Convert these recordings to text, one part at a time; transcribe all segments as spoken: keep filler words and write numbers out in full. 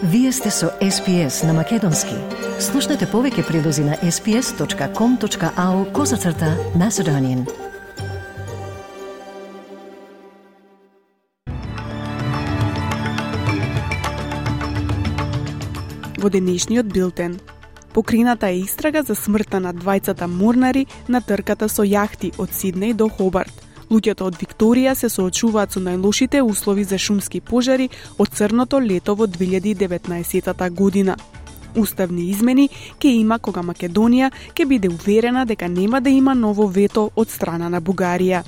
Вие сте со Ес Пи Ес на Македонски. Слушнете повеќе прилози на ес пи ес точка ком точка ау козацрта Macedonian. Во денешниот билтен. Покрината е истрага за смртта на двајцата морнари на трката со јахти од Сиднеј до Хобарт. Луѓето од Викторија се соочуваат со најлошите услови за шумски пожари од црното лето во две илјади и деветнаесетта година. Уставни измени ќе има кога Македонија ќе биде уверена дека нема да има ново вето од страна на Бугарија.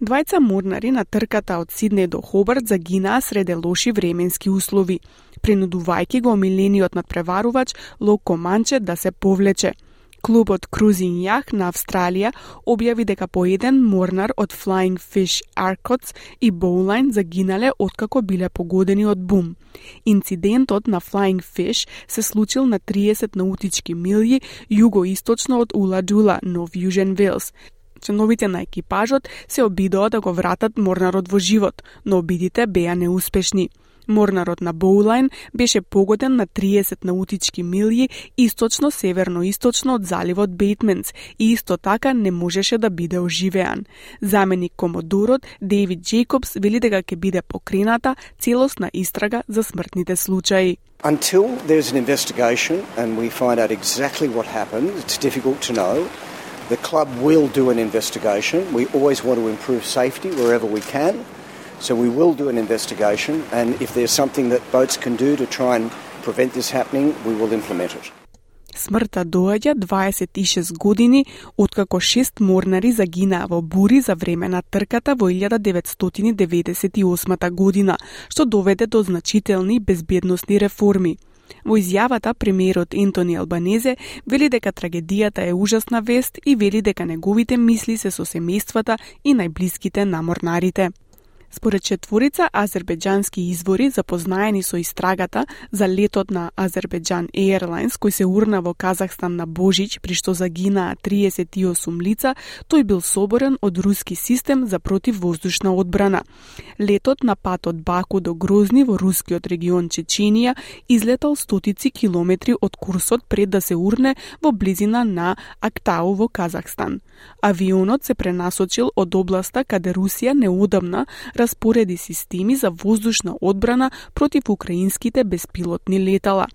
Двајца морнари на трката од Сиднеј до Хобарт загинаа среде лоши временски услови, принудувајќи го омилениот надпреварувач Лок Команче да се повлече. Клубот Cruising Yacht на Австралија објави дека по еден морнар од Flying Fish Arcots и Bowline загинале откако биле погодени од бум. Инцидентот на Flying Fish се случил на триесет наутички милји југоисточно од Уладула, Нов Јужен Велс. Членовите на екипажот се обидоа да го вратат морнарот во живот, но обидите беа неуспешни. Морнарот на Боулайн беше погоден на триесет наутички милји источно-северно-источно од заливот Бейтменс и исто така не можеше да биде оживеан. Заменик комодорот Дейвид Джейкобс вели дека ќе биде покрената целосна истрага за смртните случаи. Until there's an investigation and we find out exactly what happened, it's difficult to know. The club will do an investigation. We always want to improve safety wherever we can. So we will do an investigation, and if there's something that boats can do to try and prevent this happening, we will implement it. Смртта доаѓа дваесет и шест години откако шест морнари загинаа во бури за време на трката во илјада деветстотини деветдесет и осма година, што доведе до значителни безбедносни реформи. Во изјавата, премиерот Ентони Албанезе вели дека трагедијата е ужасна вест и вели дека неговите мисли се со семејствата и најблиските на морнарите. Според четворица азербеџански извори запознаени со истрагата за летот на Азербеџан Airlines кој се урна во Казахстан на Божич при што загинаа триесет и осум лица, тој бил соборен од руски систем за противвоздушна одбрана. Летот на пат од Баку до Грозни во рускиот регион Чеченија излетал стотици километри од курсот пред да се урне во близина на Актау во Казахстан. Авионот се пренасочил од областа каде Русија неодамна распореди системи за воздушна одбрана против украинските беспилотни летала.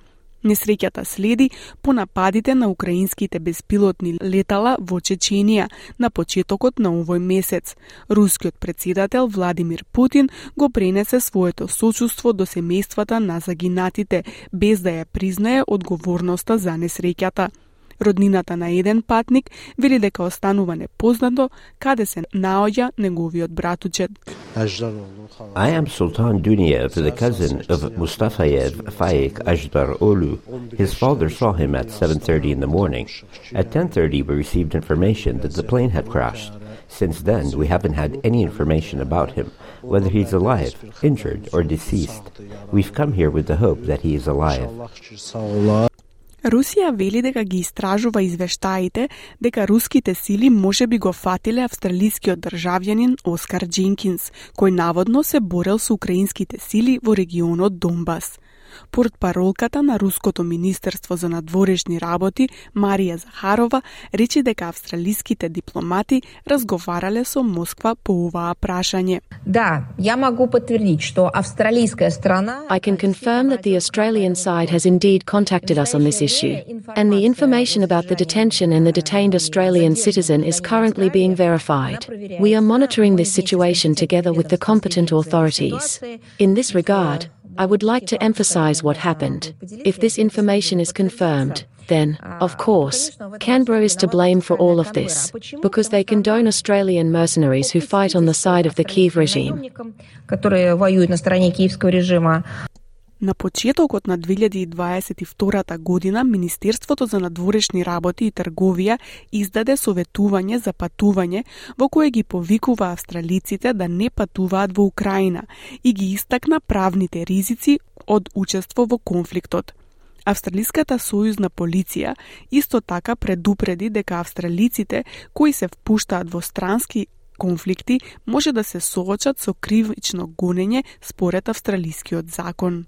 Несреќата следи по нападите на украинските беспилотни летала во Чеченија на почетокот на овој месец. Рускиот председател Владимир Путин го пренесе своето сочувство до семејствата на загинатите, без да ја признае одговорноста за несреќата. Роднината на еден патник вели дека останува непознато каде се наоѓа неговиот братучет. I am Sultan Duniyev, the cousin of Mustafayev Faik Ajdar Olu. His father saw him at seven thirty in the morning. At ten thirty we received information that the plane had crashed. Since then we haven't had any information about him, whether he's alive, injured or deceased. We've come here with the hope that he is alive. Русија вели дека ги истражува извештаите дека руските сили можеби го фатиле австралискиот државјанин Оскар Дженкинс, кој наводно се борел со украинските сили во регионот Донбас. Портпаролката на Руското министерство за надворешни работи Марија Захарова рече дека австралиските дипломати разговарале со Москва по оваа прашање. Да, ја могу потврдить што австралиская страна I can confirm that the Australian side has indeed contacted us on this issue, and the information about the detention and the detained Australian citizen is currently being verified. We are monitoring this situation together with the competent authorities. In this regard, I would like to emphasize what happened. If this information is confirmed, then, of course, Canberra is to blame for all of this, because they condone Australian mercenaries who fight on the side of the Kyiv regime. На почетокот на две илјади и дваесет и втора година, Министерството за надворешни работи и трговија издаде советување за патување во кое ги повикува австралиците да не патуваат во Украина и ги истакна правните ризици од учество во конфликтот. Австралиската сојузна полиција исто така предупреди дека австралиците кои се впуштаат во странски конфликти може да се соочат со кривично гонење според австралискиот закон.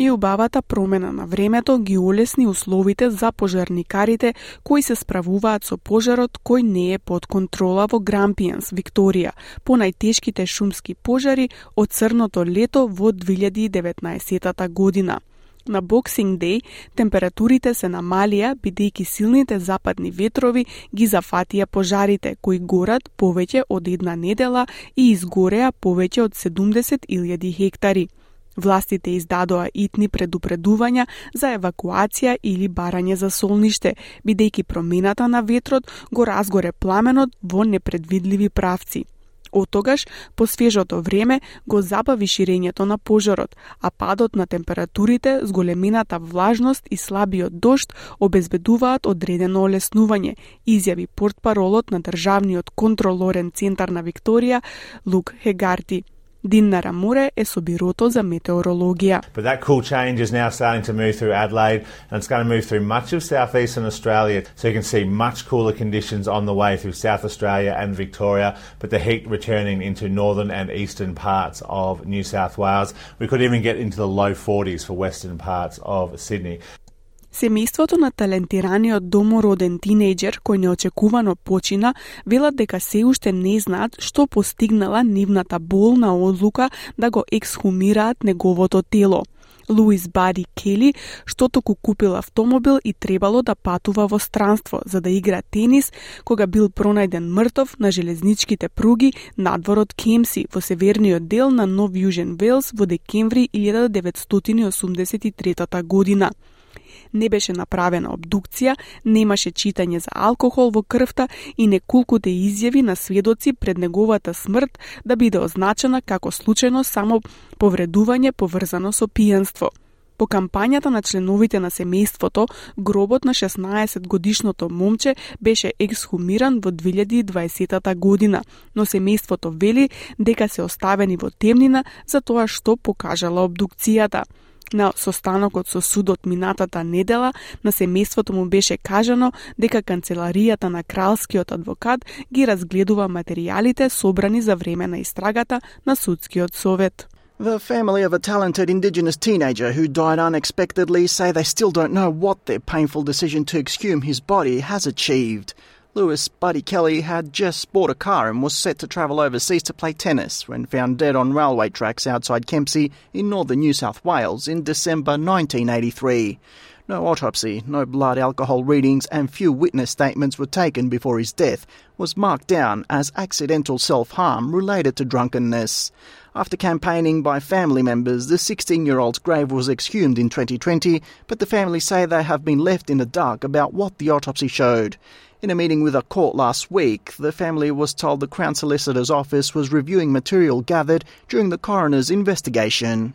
И убавата промена на времето ги олесни условите за пожарникарите кои се справуваат со пожарот кој не е под контрола во Грампијанс, Викторија, по најтешките шумски пожари од црното лето во две илјади и деветнаесетта година. На Boxing Day температурите се намалија бидејќи силните западни ветрови ги зафатија пожарите кои горат повеќе од една недела и изгореа повеќе од седумдесет илјади хектари. Властите издадоа итни предупредувања за евакуација или барање за солниште, бидејќи промената на ветрот го разгоре пламенот во непредвидливи правци. Оттогаш, по свежото време, го забави ширењето на пожарот, а падот на температурите, зголемената влажност и слабиот дожд обезбедуваат одредено олеснување, изјави портпаролот на Државниот контролорен центар на Викторија, Лук Хегарти. Динара Море е со бирото за метеорологија. But that cool change is now starting to move through Adelaide and it's going to move through much of southeastern Australia, so you can see much cooler conditions on the way through South Australia and Victoria, but the heat returning into northern and eastern parts of New South Wales. We could even get into the low forties for western parts of Sydney. Семејството на талентираниот домороден тинејџер кој неочекувано почина велат дека се уште не знаат што постигнала нивната болна одлука да го ексхумираат неговото тело. Луис Бади Кели, што току купил автомобил и требало да патува во странство за да игра тенис, кога бил пронајден мртов на железничките пруги надвор од Кемси во северниот дел на Нов Јужен Велс во декември илјада деветстотини осумдесет и трета година. Не беше направена обдукција, немаше читање за алкохол во крвта и неколкуте изјави на сведоци пред неговата смрт да биде означена како случајно само повредување поврзано со пијанство. По кампањата на членовите на семејството, гробот на шеснаесетгодишното момче беше ексхумиран во две илјади и дваесетта година, но семејството вели дека се оставени во темнина за тоа што покажала обдукцијата. На состанокот со судот минатата недела, на семејството му беше кажано дека канцеларијата на кралскиот адвокат ги разгледува материјалите собрани за време на истрагата на судскиот совет. The family of a talented Indigenous teenager who died unexpectedly say they still don't know what their painful decision to exhume his body has achieved. Lewis Buddy Kelly had just bought a car and was set to travel overseas to play tennis when found dead on railway tracks outside Kempsey in northern New South Wales in December nineteen eighty-three. No autopsy, no blood alcohol readings and few witness statements were taken before his death was marked down as accidental self-harm related to drunkenness. After campaigning by family members, the sixteen-year-old's grave was exhumed in twenty twenty, but the family say they have been left in the dark about what the autopsy showed. In a meeting with a court last week, the family was told the Crown Solicitor's office was reviewing material gathered during the coroner's investigation.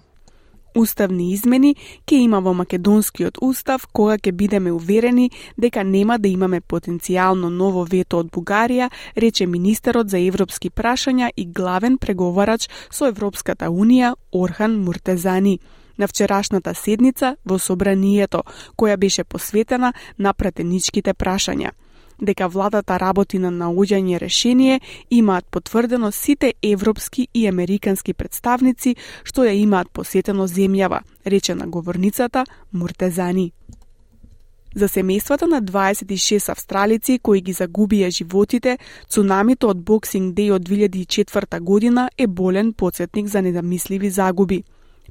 Уставни измени ќе има во македонскиот устав кога ќе бидеме уверени дека нема да имаме потенцијално ново вето од Бугарија, рече министерот за европски прашања и главен преговарач со Европската унија Орхан Муртезани на вчерашната седница во собранието, која беше посветена на пратеничките прашања. Дека владата работи на наоѓање решение, имаат потврдено сите европски и американски представници што ја имаат посетено земјава, рече на говорницата Муртезани. За семејствата на дваесет и шест австралици кои ги загубија животите, цунамито од Boxing Day од две илјади и четврта година е болен потсетник за недомисливи загуби.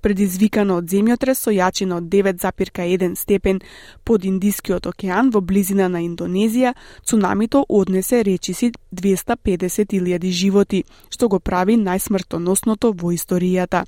Предизвикано од земјотрес со јачина од девет запирка еден степен под Индискиот океан во близина на Индонезија, цунамито однесе речиси двеста педесет илјади животи, што го прави најсмртоносното во историјата.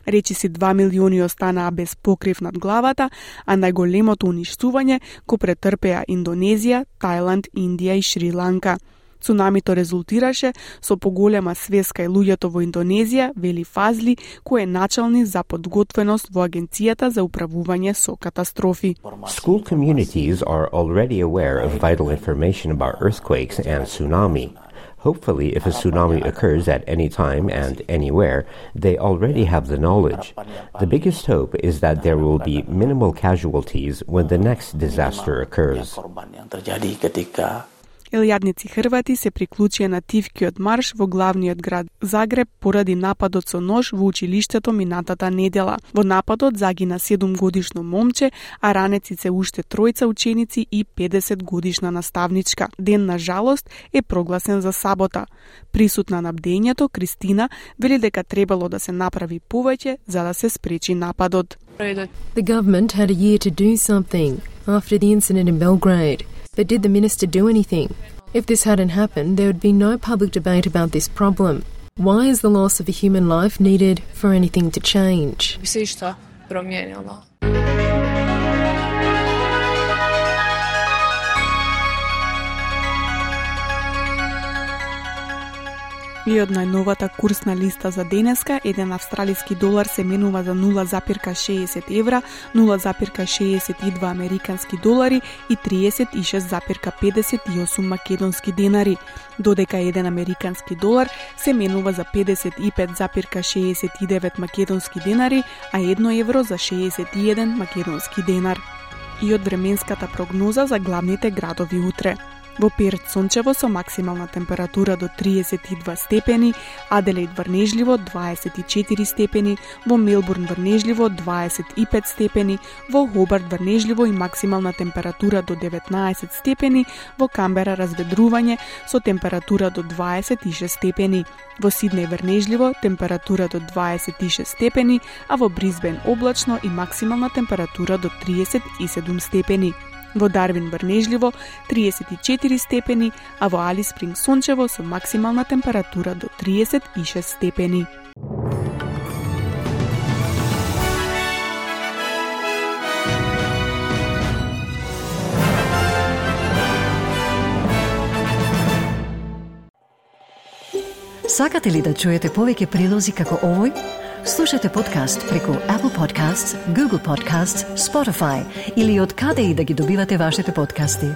Речиси два милиони останаа без покрив над главата, а најголемото уништување го претрпеа Индонезија, Тајланд, Индија и Шри-Ланка. Цунамито резултираше со поголема свест кај луѓето во Индонезија, вели Фазли, кој е началник за подготвеност во Агенцијата за управување со катастрофи. School communities are already aware of vital information about earthquakes and tsunami. Hopefully, if a tsunami occurs at any time and anywhere, they already have the knowledge. The biggest hope is that there will be minimal casualties when the next disaster occurs. Елјадници Хрвати се приклучија на тивкиот марш во главниот град Загреб поради нападот со нож во училиштето минатата недела. Во нападот загина седумгодишно момче, а ранеци се уште тројца ученици и педесет годишна наставничка. Ден на жалост е прогласен за сабота. Присутна на бдењето, Кристина вели дека требало да се направи повеќе за да се спречи нападот. The government had a year to do something after the incident in Belgrade, but did the minister do anything? If this hadn't happened, there would be no public debate about this problem. Why is the loss of a human life needed for anything to change? Bi se išta promijenilo. И од најновата курсна листа за денеска, еден австралиски долар се менува за нула запирка шеесет евра, нула запирка шеесет и два американски долари и триесет и шест запирка педесет и осум македонски денари, додека еден американски долар се менува за педесет и пет запирка шеесет и девет македонски денари, а едно евро за шеесет и еден македонски денар. И од временската прогноза за главните градови утре. Во Перт сончево со максимална температура до триесет и два степени, Аделаид врнежливо дваесет и четири степени, во Мелбурн врнежливо дваесет и пет степени, во Хобарт врнежливо и максимална температура до деветнаесет степени, во Камбера разведрување со температура до дваесет и шест степени, во Сиднеј врнежливо температура до дваесет и шест степени, а во Брисбен облачно и максимална температура до триесет и седум степени. Во Дарвин врнежливо триесет и четири степени, а во Алис Спринг сончево со максимална температура до триесет и шест степени. Сакате ли да чуете повеќе прилози како овој? Слушате подкаст преку Apple Podcasts, Google Podcasts, Spotify или од каде и да ги добивате вашите подкасти.